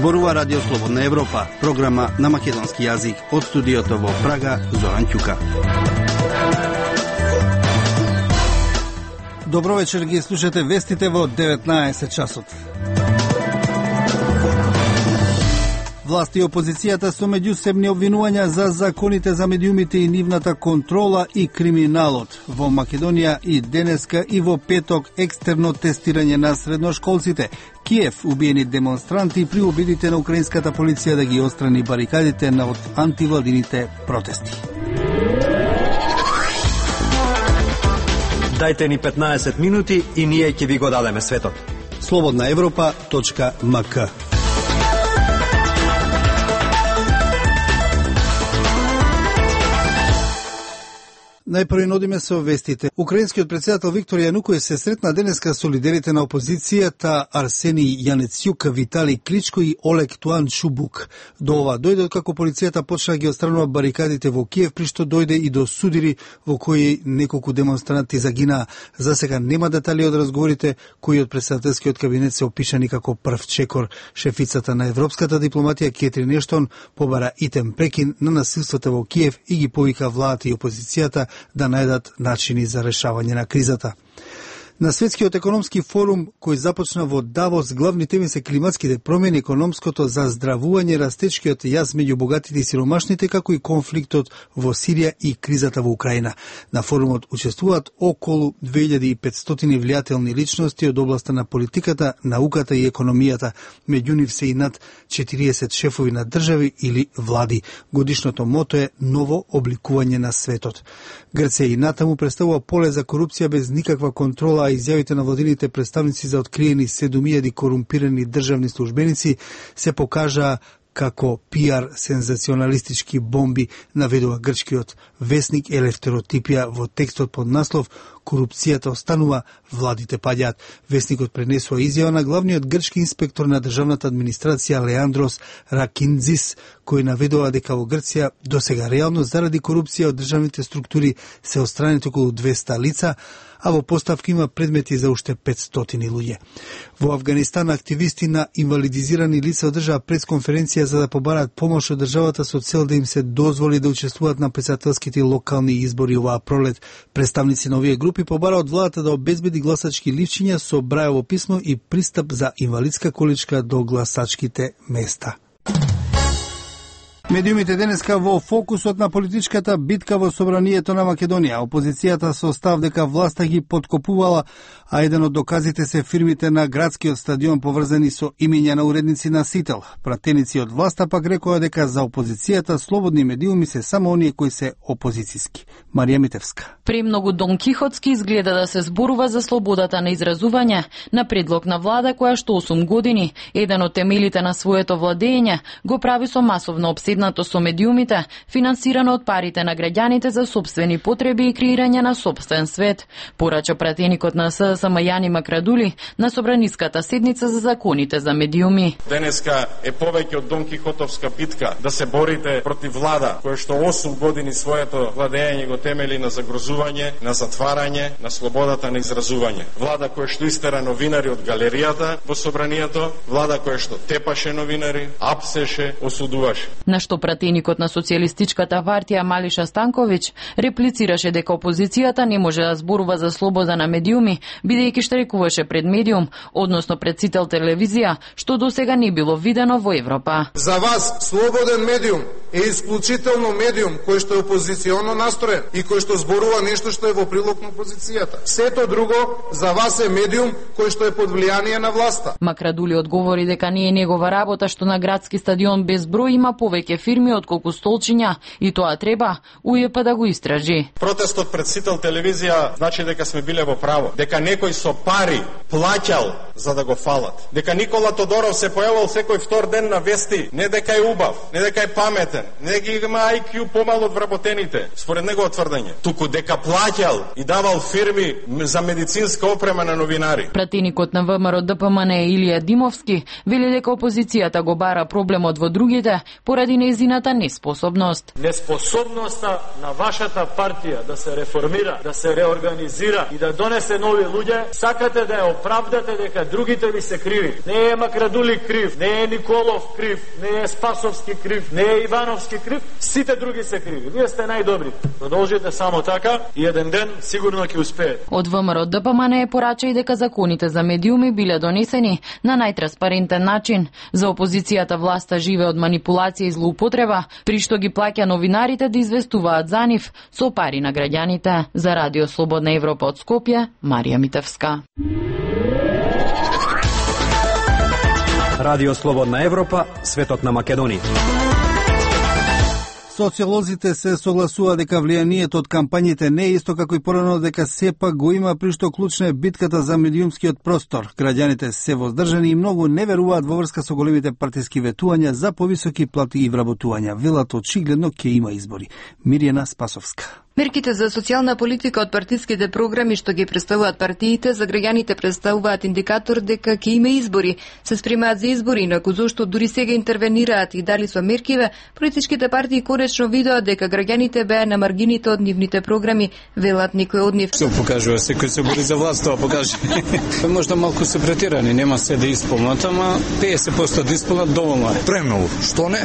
Зборува Радио Слободна Европа, програма на македонски јазик од студиото во Прага, Зоран Ќука. Добро вечер, ги слушате вестите во 19 часот. Власти и опозицијата со меѓусебни обвинувања за законите за медиумите и нивната контрола и криминалот. Во Македонија и денеска и во петок екстерно тестирање на средношколците. Киев убиени демонстранти при обидите на украинската полиција да ги отстрани барикадите на антивладините протести. Дајте ни 15 минути и ние ќе ви го дадеме светот. slobodnaevropa.mk. Најпрво нодиме со вестите. Украинскиот претседател Виктор Јануковиќ се сретна денеска со лидерите на опозицијата Арсени Јанецјук, Витали Кличко и Олег Туан Шубук. До ова дојде како полицијата почна ги отстранува барикадите во Киев, при што дојде и до судири во кои неколку демонстранти загинаа. За сега нема детали од разговорите кои од претседателскиот кабинет се опишани како прв чекор. Шефицата на европската дипломатија Кетрин Ештон побара итем прекин на насилствата во Киев и ги повика владата и опозицијата да најдат начини за решавање на кризата. На Светскиот економски форум, кој започна во Давос, главни теми се климатските промени, економското заздравување, растечкиот јаз меѓу богатите и сиромашните, како и конфликтот во Сирија и кризата во Украина. На форумот учествуваат околу 2500 влијателни личности од областа на политиката, науката и економијата. Меѓу нив се и над 40 шефови на држави или влади. Годишното мото е ново обликување на светот. Грција и натаму представува поле за корупција без никаква контрола, а изјавите на владините представници за откриени 7000 корумпирани државни службеници се покажаа како пиар сензационалистички бомби, наведува грчкиот весник Елефтеротипија во текстот под наслов "Корупцијата останува, владите паѓаат". Весникот пренесува изјава на главниот грчки инспектор на државната администрација Леандрос Ракинзис, кој наведува дека во Грција досега реално заради корупција од државните структури се отстранети околу 200 лица, а во поставка има предмети за уште 500 луѓе. Во Авганистан активисти на инвалидизирани лица одржаа пресконференција за да побараат помош од државата со цел да им се дозволи да учествуваат на претседателските локални избори оваа пролет. Представници на овие групи побара од владата да обезбеди гласачки ливчиња со Брајово писмо и пристап за инвалидска количка до гласачките места. Медиумите денеска во фокусот на политичката битка во собранието на Македонија. Опозицијата со став дека власта ги подкопувала, а еден од доказите се фирмите на градскиот стадион поврзани со имиња на уредници на Сител. Пратеници од власта пак рекоа дека за опозицијата слободни медиуми се само оние кои се опозицијски. Марија Митевска. Премногу Дон Кихотски изгледа да се зборува за слободата на изразување на предлог на влада која што 8 години, еден од темелите на своето владење, го прави со масовно обседнато со медиумите, финансирано од парите на граѓаните за сопствени потреби и креирање на сопствен свет, порача пратеникот на СДСМ Јани Макрадули на собраниската седница за законите за медиуми. Денеска е повеќе од Дон Кихотовска битка да се борите против влада која што 8 години своето владење го темели на загрозување, на затварање, на слободата на изразување. Влада која што истера новинари од галеријата во собранието, влада која што тепаше новинари, апсеше, осудуваше. На што пратеникот на Социјалистичката партија Малиша Станковиќ реплицираше дека опозицијата не може да зборува за слобода на медиуми, бидејќи штрекуваше пред медиум, односно пред Сител телевизија, што досега не било видено во Европа. За вас слободен медиум е исклучително медиум кој што е опозиционо настроен и кој што зборува нешто што е во прилог на опозицијата. Сето друго за вас е медиум кој што е под влијание на власта. Макрадули одговори дека не е негова работа што на градски стадион без број има повеќе фирми отколку столчиња и тоа треба УЈП да го истражи. Протестот пред Сител телевизија значи дека сме биле во право, дека некој со пари плаќал за да го фалат, дека Никола Тодоров се појавил секој втор ден на вести, не дека е убав, не дека е паметен, интелигентен, не ги има IQ помало од вработените, според негово тврдење, туку дека плаќал и давал фирми за медицинска опрема на новинари. Пратеникот на ВМРО ДПМН Илија Димовски вели дека опозицијата го бара проблемот во другите поради нејзината неспособност. Неспособноста на вашата партија да се реформира, да се реорганизира и да донесе нови луѓе, сакате да ја оправдате дека другите ви се криви. Не е Макрадули крив, не е Николов крив, не е Спасовски крив, не е Ивановски крив, сите други се криви. Вие сте најдобри. Продолжите само така и еден ден сигурно ќе успеете. Од ВМРО ДПМН порача и дека законите за медиуми биле донесени на најтранспарентен начин. За опозицијата власта живе од манипулација и злоупотреба, при што ги плаќа новинарите да известуваат за нив со пари на граѓаните. За Радио Слободна Европа од Скопје, Марија Митевска. Радио Слободна Европа, светот на Македонија. Социолозите се согласува дека влијанието од кампањите не е исто како и порано, дека сепак го има, при што клучна е битката за медиумскиот простор. Граѓаните се воздржани и многу не веруваат во врска со големите партиски ветувања за повисоки плати и вработувања. Велат очигледно ќе има избори. Мирјана Спасовска. Мерките за социјална политика од партиските програми што ги представуваат партиите за граѓаните представуваат индикатор дека ќе има избори. Се спремаат за избори, инаку зошто дури сега интервенираат и дали со меркиве, политичките партии конечно видоа дека граѓаните беа на маргините од нивните програми, велат некој од нив. Се покажува, секој се бори за власт, тоа покаже. Можда малку се претирани, нема се да исполнат, ама 50% да исполнат доволно е. Премногу, што не?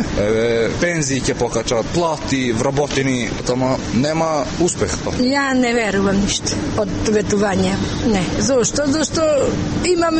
Пензии ќе покачат, плати, вработени, ама нема успех. Ја не верувам ништо од ветување. Не. Зошто? Зошто имам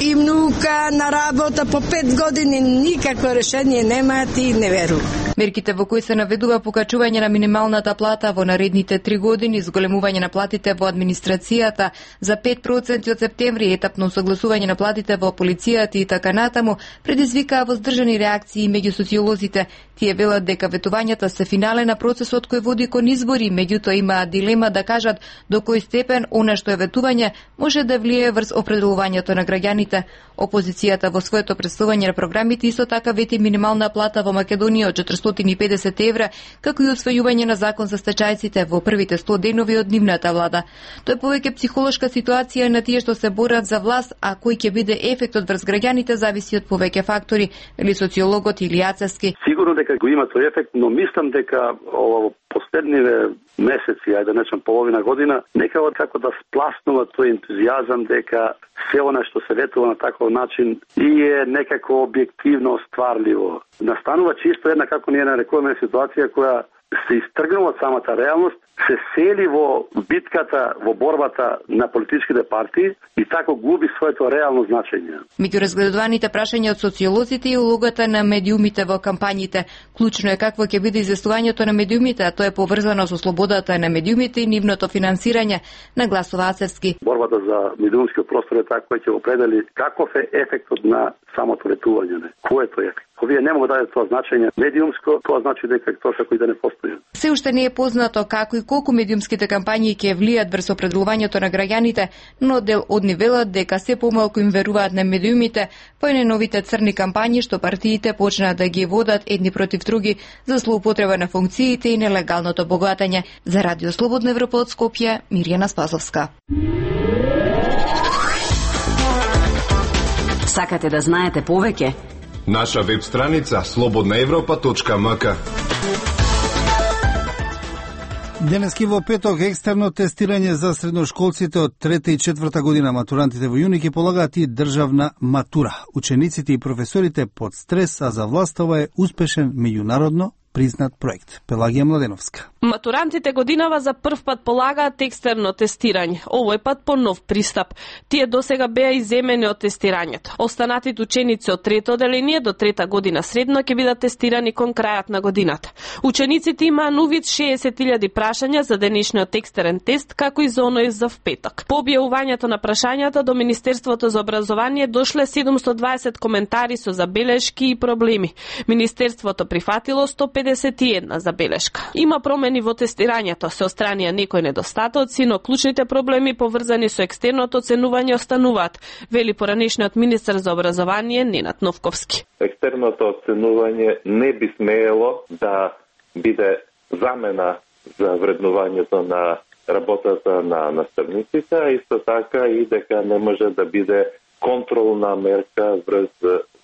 и внука на работа по 5 години, никакво решение немаат и не верувам. Мерките во кои се наведува покачување на минималната плата во наредните 3 години, зголемување на платите во администрацијата за 5% од септември, етапно согласување на платите во полицијата и така натаму, предизвикаа воздржани реакции меѓу социолозите. Тие велат дека ветувањата се финале на процесот кој води кон избори, меѓутоа имаат дилема да кажат до кој степен она што е ветување може да влие врз определувањето на граѓаните. Опозицијата во своето представување на програмите исто така вети минимална плата во Македонија од 450 евра, како и усвојување на закон за стечајците во првите 100 денови од нивната влада. Тоа е повеќе психолошка ситуација на тие што се борат за власт, а кој ќе биде ефектот врз граѓаните зависи од повеќе фактори, или социологот или Јацевски. Сигурно дека го има тој ефект, но мислам дека последниве месеци, ајде да речем половина година, некако како да спласнува тој ентузијазам дека се она што се ветува на таков начин и е некако објективно стварливо. Настанува чисто една, како ние нарекуваме, ситуација која се истргнува од самата реалност, се сели во битката, во борбата на политичките партии и тако губи своето реално значење. Меѓу разгледуваните прашања од социолозите и улогата на медиумите во кампањите. Клучно е какво ќе биде известувањето на медиумите, а тоа е поврзано со слободата на медиумите и нивното финансирање, нагласува Ацевски. Борбата за медиумскиот простор е така кој ќе определи каков е ефектот на самото ветување. Кој е тој ефект? Овие не могат да дадат тоа значење медиумско, тоа значи дека тоа кој да не постои. Се уште не е познато како и колку медиумските кампањи ќе влијат врз определувањето на граѓаните, но дел од нив велат дека се помалку им веруваат на медиумите по новите црни кампањи што партиите почнаа да ги водат едни против други за злоупотреба на функциите и нелегалното богатење. За Радио Слободна Европа од Скопје, Мирјана Спасовска. Сакате да знаете повеќе? Наша веб страница slobodnaevropa.mk. Денески во петок екстерно тестирање за средношколците од 3 и 4 година. Матурантите во јуни ќе полагаат и државна матура. Учениците и професорите под стрес, а за власта ова е успешен меѓународно признат проект. Пелагија Младеновска. Матурантите годинава за прв пат полагаат екстерно тестирање. Овој пат по нов пристап. Тие досега беа иземени од тестирањето. Останатите ученици од трето оделение до 3 година средно ќе бидат тестирани кон крајот на годината. Учениците имаа на увид 60.000 прашања за денешниот екстерен тест, како и за оној за впеток. По објавувањето на прашањата до Министерството за образование дошле 720 коментари со забелешки и проблеми. Министерството прифатило 105 51 забелешка. Има промени во тестирањето, се отстранија некои недостатоци, но клучните проблеми поврзани со екстерното оценување остануваат, вели поранешниот министер за образование Ненад Новковски. Екстерното оценување не би смеело да биде замена за вреднувањето на работата на наставниците, а исто така и дека не може да биде контролна мерка врз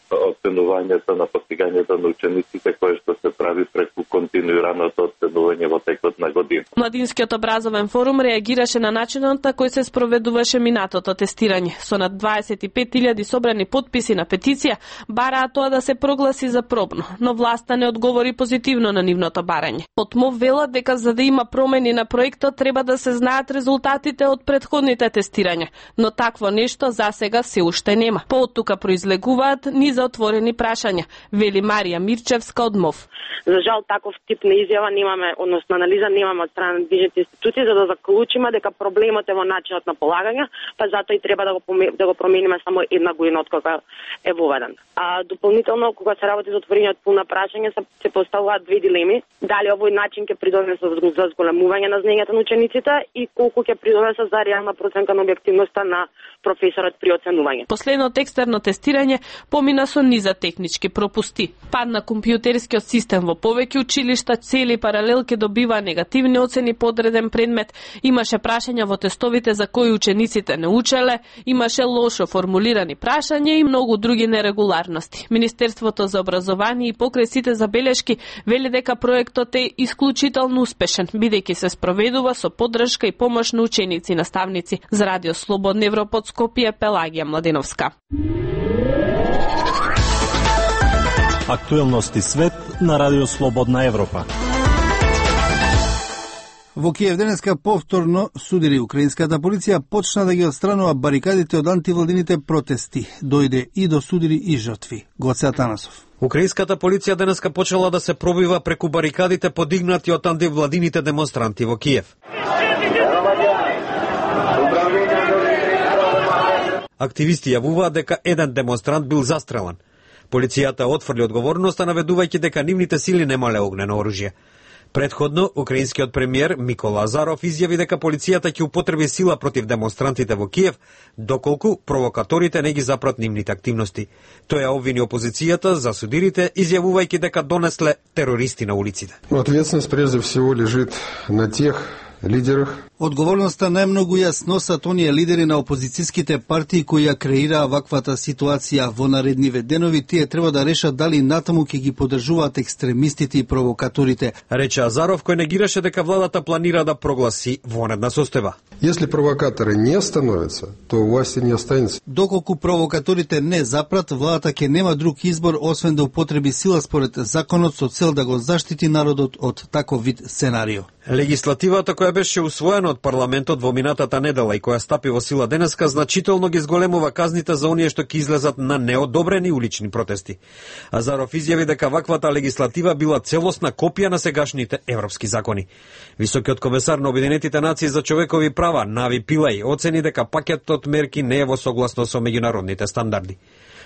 оценувањето на постигањето на учениците, кое што се прави преку континуираното оценување во текот на година. Младинскиот образовен форум реагираше на начинот на кој се спроведуваше минатото тестирање. Со над 25.000 собрани потписи на петиција, бараа тоа да се прогласи за пробно, но власта не одговори позитивно на нивното барање. Потмов велат дека за да има промени на проектот треба да се знаат резултатите од претходните тестирања, но такво нешто засега се уште нема. По од тука произлегуваат низ за отворени прашања, вели Марија Мирчевска од МОВ. За жал таков тип на изјава немаме, односно анализа немаме од страна на движните институции за да заклучиме дека проблемот е во начинот на полагање, па затоа и треба да го промениме само една година од кога е воведен. А дополнително кога се работи за отворање од пулна прашања се поставуваат две дилеми: дали овој начин ќе придонесе за зголемување на знаењата на учениците и колку ќе придонесе за реална проценка на објективноста на професорот при оценување. Последното екстерно тестирање помина со низа технички пропусти. Падна компјутерскиот систем во повеќе училишта, цели паралелки добива негативни оцени по одреден предмет, имаше прашања во тестовите за кои учениците не учеле, имаше лошо формулирани прашања и многу други нерегуларности. Министерството за образование и покрај сите забелешки вели дека проектот е исклучително успешен, бидејќи се спроведува со поддршка и помош на ученици и наставници. За Радио Слободна Европа од Скопје, Пелагија Младеновска. Актуелности свет на Радио Слободна Европа. Во Киев денеска повторно судири украинската полиција почна да ги отстранува барикадите од антивладините протести. Дојде и до судири и жртви. Гоце Атанасов. Украинската полиција денеска почела да се пробива преку барикадите подигнати од антивладините демонстранти во Киев. Активисти јавуваат дека еден демонстрант бил застрелан. Полицијата отфрли одговорноста, наведувајќи дека нивните сили немале огнено оружје. Предходно, украинскиот премиер Микола Азаров изјави дека полицијата ќе употреби сила против демонстрантите во Киев, доколку провокаторите не ги запрат нивните активности. Тој ја обвини опозицијата за судирите, изјавувајќи дека донесле терористи на улиците. Ответственност прежде всего лежит на тех лидерах. Одговорноста најмногу ја сносат оние лидери на опозицијските партии кои ја креираа ваквата ситуација. Во наредниве денови тие треба да решат дали натаму ќе ги поддржуваат екстремистите и провокаторите. Рече Азаров, кој негираше дека владата планира да прогласи вонредна состојба. Если провокаторы не остановятся, то власти не останется. Доколку провокаторите не запрат, владата ќе нема друг избор освен да употреби сила според законот со цел да го заштити народот од таков вид сценарио. Легислативата која беше усвоена од парламентот во минатата недела и која стапи во сила денеска значително ги зголемува казните за оние што ќе излезат на неодобрени улични протести. Азаров изјави дека ваквата легислатива била целосна копија на сегашните европски закони. Високиот комесар на Обединетите нации за човекови права Нави Пилај оцени дека пакетот мерки не е во согласност со меѓународните стандарди.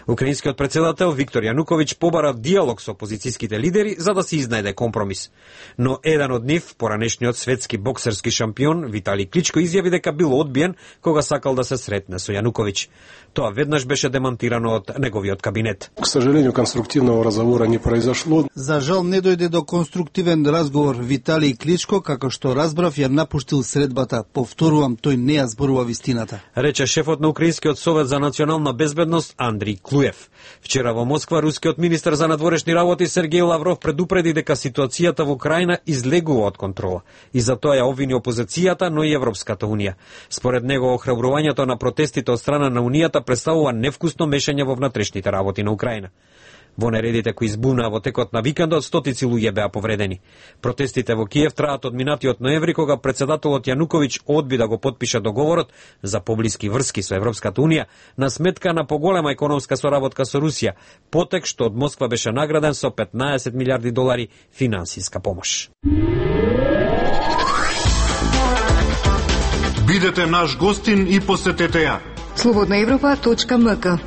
Украинскиот председател Виктор Јануковиќ побара диалог со опозицијските лидери за да се изнајде компромис. Но еден од нив, поранешниот светски боксерски шампион Витали Кличко, изјави дека бил одбиен кога сакал да се сретне со Јануковиќ. Тоа веднаш беше демонтирано од неговиот кабинет. К сожалению, конструктивного разговора не произошло. За жал не дојде до конструктивен разговор. Витали Кличко, како што разбрав, ја напуштил средбата. Повторувам, тој не ја зборува вистината. Рече шефот на Украинскиот совет за национална безбедност Андриј Клуев. Вчера во Москва рускиот министер за надворешни работи Сергеј Лавров предупреди дека ситуацијата во Украина излегува од контрола и затоа ја обвини опозицијата, но и Европската унија. Според него охрабрувањето на протестите од страна на унијата представува невкусно мешање во внатрешните работи на Украина. Во нередите кои избунаа во текот на викендот, стотици луѓе беа повредени. Протестите во Киев траат од минатиот ноември, кога председателот Јануковиќ одби да го потпише договорот за поблиски врски со Европската унија на сметка на поголема економска соработка со Русија, потек што од Москва беше награден со 15 милиарди долари финансиска помош. Бидете наш гостин и посетете ја. slobodnaevropa.mk.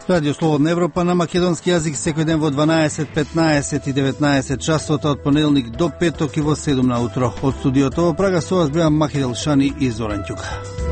Радио Слободна Европа на македонски јазик секој ден во 12, 15 и 19 часота од понеделник до петок и во 7 на утро. Од студиото во Прага со вас беа Махидел Шани и Зоран Ќука.